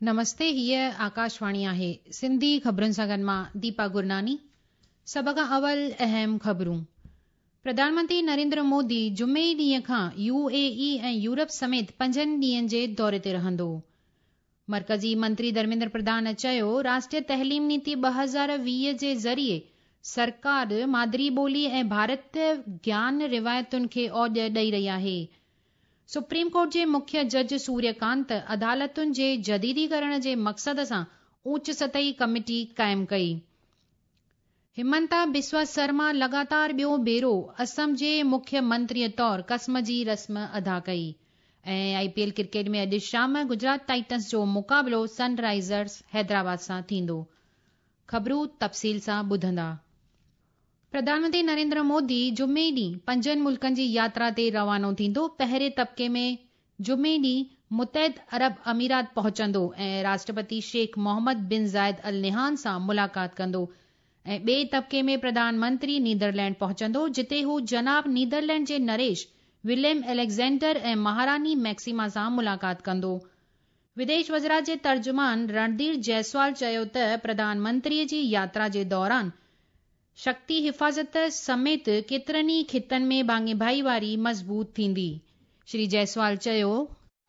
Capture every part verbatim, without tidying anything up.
नमस्ते, हीअ आकाशवाणी आहे। सिंधी ख़बरुनि सां गॾु मां दीपा गुरनानी। सभ खां अवल अहम ख़बरूं। प्रधानमंत्री नरेंद्र मोदी जुमे ॾींहं खां यू ए ई ऐं यूरोप समेत पंजनि ॾींहंनि जे दौरे ते रहंदो। मर्कज़ी मंत्री धर्मेंद्र प्रधान चयो, राष्ट्रीय तहलीम नीति ॿ हज़ार वीह जे ज़रिए सरकार मादरी ॿोली ऐं भारत ज्ञान रिवायतुनि खे ओॼ ॾेई रही आहे। सुप्रीम कोर्ट जे मुख्य जज सूर्यकांत अदालतुनि जे जदीदीकरण जे मक़सद सां ऊच सतही कमेटी क़ाइमु कई। हिमंता बिस्वा शर्मा लगातार ॿियो भेरो असम जे मुख्य मंत्रीअ तौर क़स्म जी रस्म अदा कई। ऐं I P L cricket में अॼु शाम गुजरात टाइटन्स जो मुक़ाबिलो सनराइज़र्स हैदराबाद सां थींदो। ख़बरूं तफ़सील सां ॿुधंदा। प्रधानमंत्री नरेंद्र मोदी जुमे ॾींहुं पंजनि मुल्कनि जी यात्रा ते रवानो थींदो। पहिरें तबके में जुमे ॾींहुं मुतहद अरब अमीरात पहुचंदो ऐं राष्ट्रपति शेख मोहम्मद बिन ज़ायद अल निहान सां मुलाक़ात कंदो। ऐं ॿिए तबके में प्रधानमंत्री नीदरलैंड पहुचंदो, जिते हू जनाब नीदरलैंड जे नरेश विलियम अलेक्ज़ेंडर ऐं महारानी मैक्सिमा सां मुलाक़ात कंदो। विदेश वज़ारत जे तर्जुमान रणधीर जायसवाल चयो त प्रधानमंत्रीअ जी यात्रा जे दौरान शक्ति हिफ़ाज़त समेत केतिरनि ई ख़ितनि में भाङे भाईवारी मज़बूत थींदी। श्री जायसवाल चयो,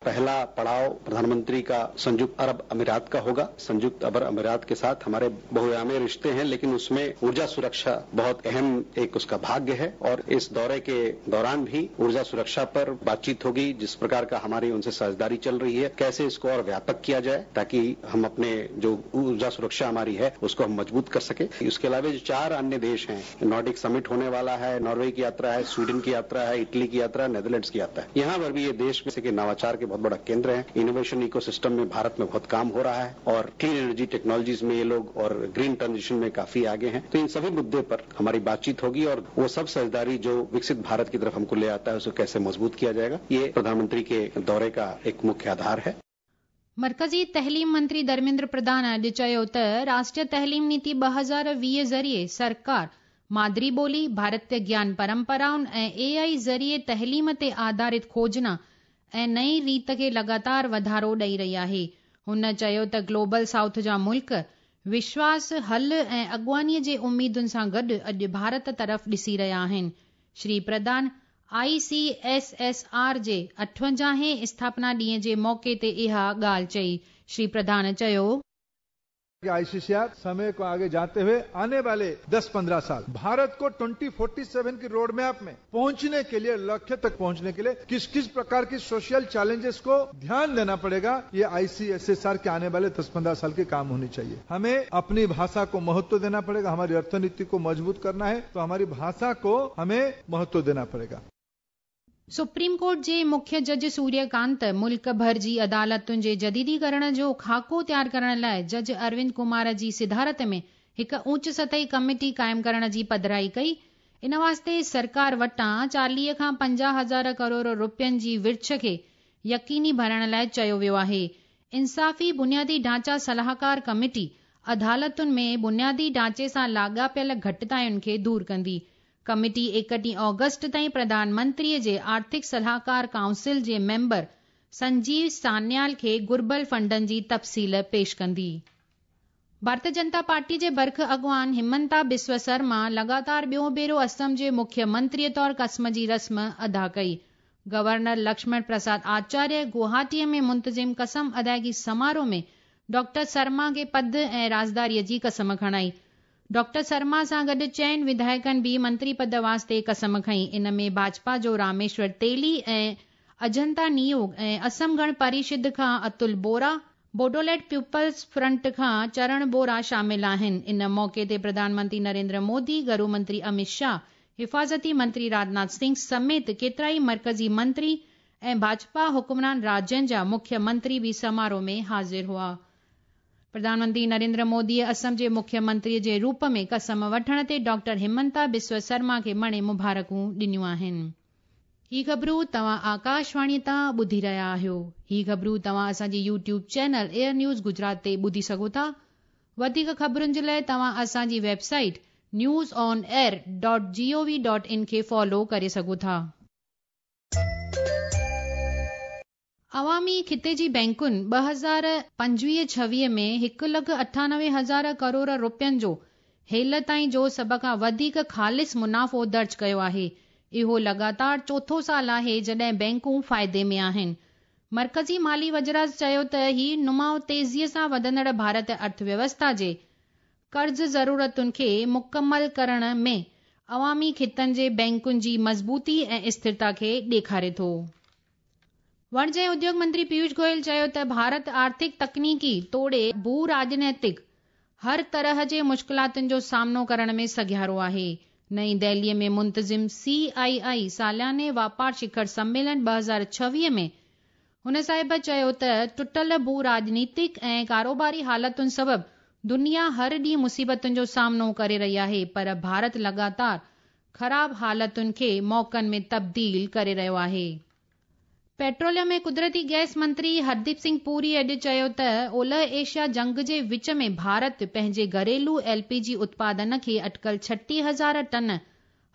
पहला पड़ाव प्रधानमंत्री का संयुक्त अरब अमीरात का होगा। संयुक्त अरब अमीरात के साथ हमारे बहुआयामी रिश्ते हैं, लेकिन उसमें ऊर्जा सुरक्षा बहुत अहम एक उसका भाग्य है और इस दौरे के दौरान भी ऊर्जा सुरक्षा पर बातचीत होगी। जिस प्रकार का हमारी उनसे साझेदारी चल रही है, कैसे इसको और व्यापक किया जाए ताकि हम अपने जो ऊर्जा सुरक्षा हमारी है उसको हम मजबूत कर सके। इसके अलावा जो चार अन्य देश हैं, नॉर्डिक समिट होने वाला है, नॉर्वे की यात्रा है, स्वीडन की यात्रा है, इटली की यात्रा है, नेदरलैंड्स की यात्रा है। यहाँ पर भी ये देश में नवाचार के बहुत बड़ा केंद्र है। इनोवेशन इकोसिस्टम में भारत में बहुत काम हो रहा है और क्लीन एनर्जी टेक्नोलॉजीज में ये लोग और ग्रीन ट्रांजिशन में काफी आगे हैं। तो इन सभी मुद्दे पर हमारी बातचीत होगी और वो सब साझेदारी जो विकसित भारत की तरफ हमको ले आता है उसको कैसे मजबूत किया जाएगा, ये प्रधानमंत्री के दौरे का एक मुख्य आधार है। मर्कज़ी तहलीम मंत्री धर्मेंद्र प्रधान अॼु चयो त राष्ट्रीय तहलीम नीति ॿ हज़ार वीह ज़रिए सरकार मादरी ॿोली, भारतीय ज्ञान परंपराउनि ऐं ए आई ज़रिए तहलीम ते आधारित खोजना ऐं नई रीत खे लगातार वाधारो ॾेई रही आहे। हुन चयो त ग्लोबल साउथ जा मुल्क विश्वास, हल ऐं अॻुवानीअ जे उम्मीदुनि सां गॾु अॼु भारत तरफ़ ॾिसी रहिया आहिनि। Shri Pradhan I C S S R जे अठवंजाहें स्थापना ॾींहं जे मौक़े ते इहा ॻाल्हि चई। श्री प्रधान चयो, आईसीसीआर समय को आगे जाते हुए आने वाले दस पंद्रह साल भारत को ट्वेंटी फोर्टी सेवन की रोड मैप में पहुंचने के लिए, लक्ष्य तक पहुंचने के लिए किस किस प्रकार की सोशल चैलेंजेस को ध्यान देना पड़ेगा, ये आईसीएसएसआर के आने वाले दस पंद्रह साल के काम होने चाहिए। हमें अपनी भाषा को महत्व देना पड़ेगा। हमारी अर्थनीति को मजबूत करना है तो हमारी भाषा को हमें महत्व देना पड़ेगा। सुप्रीम कोर्ट जे मुख्य जज सूर्यकांत मुल्क भर जी अदालतुनि जे जदीदीकरण जो ख़ाको तयार करण लाइ जज अरविंद कुमार जी सिदारत में हिकु ऊच सतही कमेटी क़ाइमु करण जी पधराई कई। इन वास्ते सरकार वटां चालीह खां पंजाह हज़ार करोड़ रुपयनि जी विर्छ खे यकीनी बणाइण लाइ चयो वियो आहे। इंसाफ़ी बुनियादी ढांचा सलाहकार कमेटी अदालतुनि में बुनियादी ढांचे सां लाॻापियल घटितायुनि खे दूर कंदी। कमेटी एकटीह ऑगस्ट ताईं प्रधानमंत्रीअ जे आर्थिक सलाहकार काउंसिल जे मेंबर संजीव सान्याल खे घुर्बल फंडनि जी तफ़सील पेश कंदी। भारतीय जनता पार्टी जे बरख अॻवान हिमंता बिस्व शर्मा लगातार ॿियो भेरो असम जे मुख्य मंत्रीअ तौर क़स्म जी रस्म अदा कई। गवर्नर लक्ष्मण प्रसाद आचार्य गुवाहाटीअ में मुंतज़िम क़सम अदायगी समारोह में डॉक्टर शर्मा खे पद ऐं राज़दारीअ जी क़सम खणाई। डॉक्टर शर्मा सां गॾु चइनि विधायकनि बि मंत्री पद वास्ते क़सम खई। इन में भाजपा जो रामेश्वर तेली ऐं अजंता नियोग ऐं असम गण परिषद खां अतुल बोरा, बोडोलैंड पीपल्स फ्रंट खां चरण बोरा शामिल आहिनि। इन मौक़े ते प्रधानमंत्री नरेंद्र मोदी, गृह मंत्री अमित शाह, हिफ़ाज़ती मंत्री राजनाथ सिंह समेत केतिरा ई मर्कज़ी मंत्री ऐं भाजपा हुक्मरान राज्यनि जा मुख्य मंत्री बि समारोह में हाज़िर हुआ। प्रधानमंत्री नरेंद्र मोदीअ असम जे मुख्य मंत्रीअ जे रूप में क़सम वठण ते डॉक्टर हिमंता बिस्व शर्मा खे मणे मुबारकूं ॾिनियूं आहिनि। ही ख़बरूं तव्हां आकाशवाणी तां ॿुधी रहिया आहियो। ही ख़बरूं तव्हां असांजे YouTube channel air news Gujarat ते ॿुधी सघो था। वधीक ख़बरुनि जे लाइ तव्हां असांजी website news on air dot G O V dot in खे फॉलो करे सघो था। عوامي خطي جي بينڪن ٻه هزار پنجويهه ڇويهه ۾ هڪ لک اٺانوي هزار ڪروڙ رپين جو هيل تائين جو سڀ کان وڌيڪ خالص منافعو درج ڪيو آهي. اهو لڳاتار چوٿون سال آهي جڏهن بينڪون فائدي ۾ آهن. مرڪزي مالي وزارت چيو ته هي نماء تيزيء سان وڌندڙ ڀارت ارٿويوسٿا جي قرض ضرورتن کي مڪمل ڪرڻ ۾ عوامي خطن جي بينڪن جي مضبوطي ۽ اسٿرتا کي ڏيکاري ٿو. وڻج ۽ اديوگ منتري پيوش گويل چيو ته ڀارت آرٿڪ، تڪنيڪي توڙي ڀو راڄنيتڪ هر طرح جي مشڪلاتن جو سامنو ڪرڻ ۾ سگهيارو آهي. نئين دهليء ۾ منتظم سي آء آء سالياني واپار شکر سميلن ٻه هزار ڇويهه ۾ هن صاحب چيو ته ٽٽل ڀو راڄنيتڪ ۽ ڪاروباري حالتن سبب دنيا هر ڏينهن مصيبتن جو سامنو ڪري رهي آهي، پر ڀارت لڳاتار خراب حالتن کي موقعن ۾ تبديل ڪري رهيو آهي. پيٽروليم ۽ قدرتي گئس منتري هرديپ سنگهه پوري اڄ چيو ته اولهه ايشيا جنگ جي وچ ۾ ڀارت پنهنجي گهريلو ايل پي جي اتپادن کي اٽڪل ڇٽيهه هزار ٽن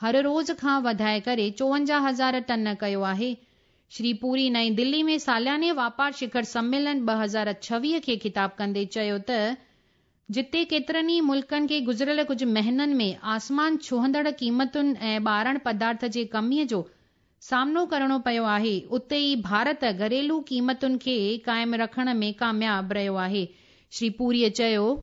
هر روز کان وڌائي ڪري چوونجاهه هزار ٽن ڪيو آهي. شري پوري نئين دلي ۾ سالياني واپار شکر سميلن ٻه هزار ڇويهه کي خطاب ڪندي چيو ته جتي ڪيترن ئي ملڪن کي گذريل ڪجهه مهينن ۾ آسمان ڇهندڙ قيمتن ۽ ٻارڻ پدارٿ جي ڪميءَ جو سامنو ڪرڻو پيو آهي، اتي ئي ڀارت گهريلو قيمتن کي قائم رکڻ ۾ ڪامياب رهيو آهي. شري پوريءَ چيو،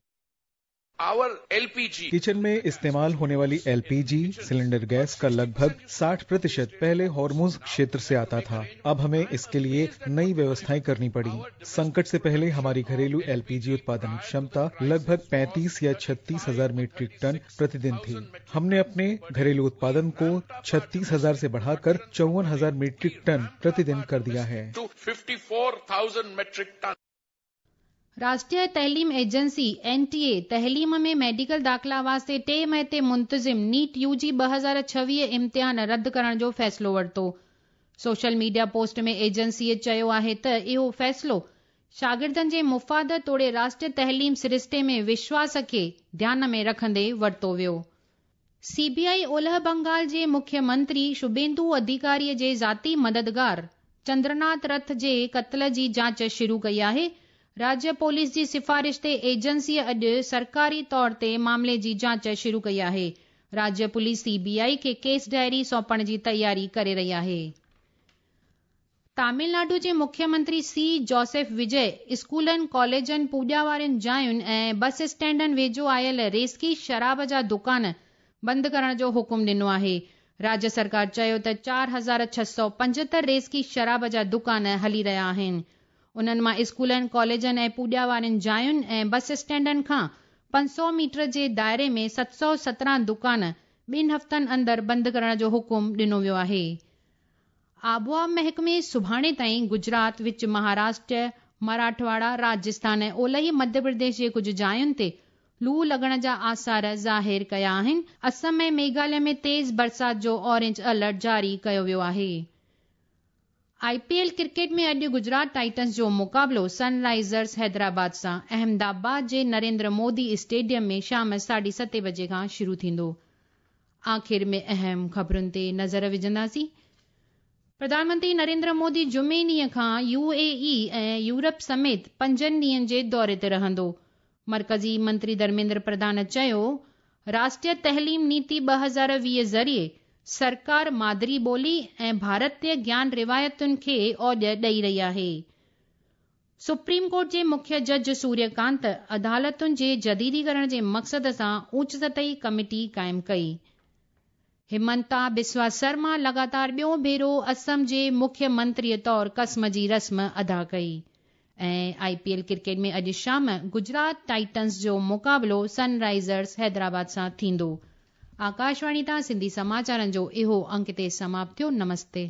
किचन में इस्तेमाल होने वाली एलपीजी सिलेंडर गैस का लगभग साठ प्रतिशत पहले हॉर्मोज क्षेत्र से आता था। अब हमें इसके लिए नई व्यवस्थाएं करनी पड़ी। संकट से पहले हमारी घरेलू एलपीजी उत्पादन क्षमता लगभग पैंतीस या छत्तीस हजार मीट्रिक टन प्रतिदिन थी। हमने अपने घरेलू उत्पादन को छत्तीस हजार से बढ़ाकर चौवन हजार मीट्रिक टन प्रतिदिन कर दिया है। राष्ट्रीय तहलीम एजेंसी एन टी ए तहलीम में मेडिकल दाख़िला वास्ते टे मई ते मुंतज़िम नीट यू जी ٻه هزار ڇويهه इम्तिहान रद्द करण जो फ़ैसिलो वरितो। सोशल मीडिया पोस्ट में एजेंसीअ चयो आहे त इहो फ़ैसिलो शागिर्दनि जे मुफ़ाद तोड़े राष्ट्रीय तहलीम सरिश्ते में विश्वास खे ध्यान में रखंदे वरितो वियो। सी बी I ओलह बंगाल जे मुख्यमंत्री शुभेंदु अधिकारीअ जे ज़ाती मददगार चंद्रनाथ रथ जे क़त्ल जी जांच शुरू कई आहे। राज्य पुलिस जी सिफारिश ते एजेंसीअ अॼु सरकारी तौर ते मामले जी जांच शुरू कई आहे। राज्य पुलिस सी बी I खे केस डायरी सौंपण जी तयारी करे रही आहे। तमिलनाडु जे मुख्यमंत्री सी जोसेफ विजय स्कूलनि, कॉलेजनि, पूॼा वारनि जायुनि ऐं बस स्टैंडनि वेझो आयल रेस्की शराब जा दुकान बंदि करण जो हुकुम ॾिनो आहे। राज्य सरकार चयो त चार हज़ार छह सौ पंजहतरि रेस्की शराब जा दुकान हली रहिया आहिनि। उन्हनि मां स्कूलनि, कॉलेजनि ऐं पूॼा वारनि जायुनि ऐं बस स्टैंडनि खां पंज सौ मीटर जे दायरे में सत सौ सत्रहं दुकान ॿिनि हफ़्तनि अंदरि बंदि करण जो हुकुम ॾिनो वियो आहे। आबोहवा महकमे सुभाणे ताईं गुजरात, विच महाराष्ट्र, मराठवाड़ा, राजस्थान ऐं ओलही मध्य प्रदेश जे कुझु जायुनि ते लू लॻण जा आसार ज़ाहिर कया आहिनि। असम ऐं मेघालय में तेज़ बरसाति जो ऑरेंज अलर्ट जारी कयो वियो आहे। I P L cricket में अॼु गुजरात टाइटन्स जो मुक़ाबिलो सनराइज़र्स हैदराबाद सां अहमदाबाद जे नरेंद्र मोदी स्टेडियम में शाम साढे सते बजे खां शुरू थींदो। आख़िर में अहम ख़बरुनि ते नज़र विझंदासीं। प्रधानमंत्री नरेंद्र मोदी जुमे ॾींहं खां यू ए ई ऐं यूरोप समेत पंजनि ॾींहंनि जे दौरे ते रहंदो। मर्कज़ी मंत्री धर्मेंद्र प्रधान चयो, राष्ट्रीय तहलीम नीति ٻه हज़ार वीह ज़रिए सरकार मादरी ॿोली ऐं भारतीय ज्ञान रिवायतुनि खे ओॼ ॾेई रही आहे। सुप्रीम कोर्ट जे मुख्य जज सूर्यकांत अदालतुनि जे जदीदीकरण जे मक़सद सां ऊच सतही कमेटी क़ाइमु कई। हिमंता बिस्वा शर्मा लगातार ॿियो भेरो असम जे मुख्यमंत्रीअ तौर क़स्म जी रस्म अदा कई। ऐं I P L cricket में अॼु शाम गुजरात टाइटन्स जो मुक़ाबिलो सनराइज़र्स हैदराबाद सां थींदो। आकाशवाणी तां सिंधी समाचारनि जो इहो अंक ते समाप्त थियो। नमस्ते।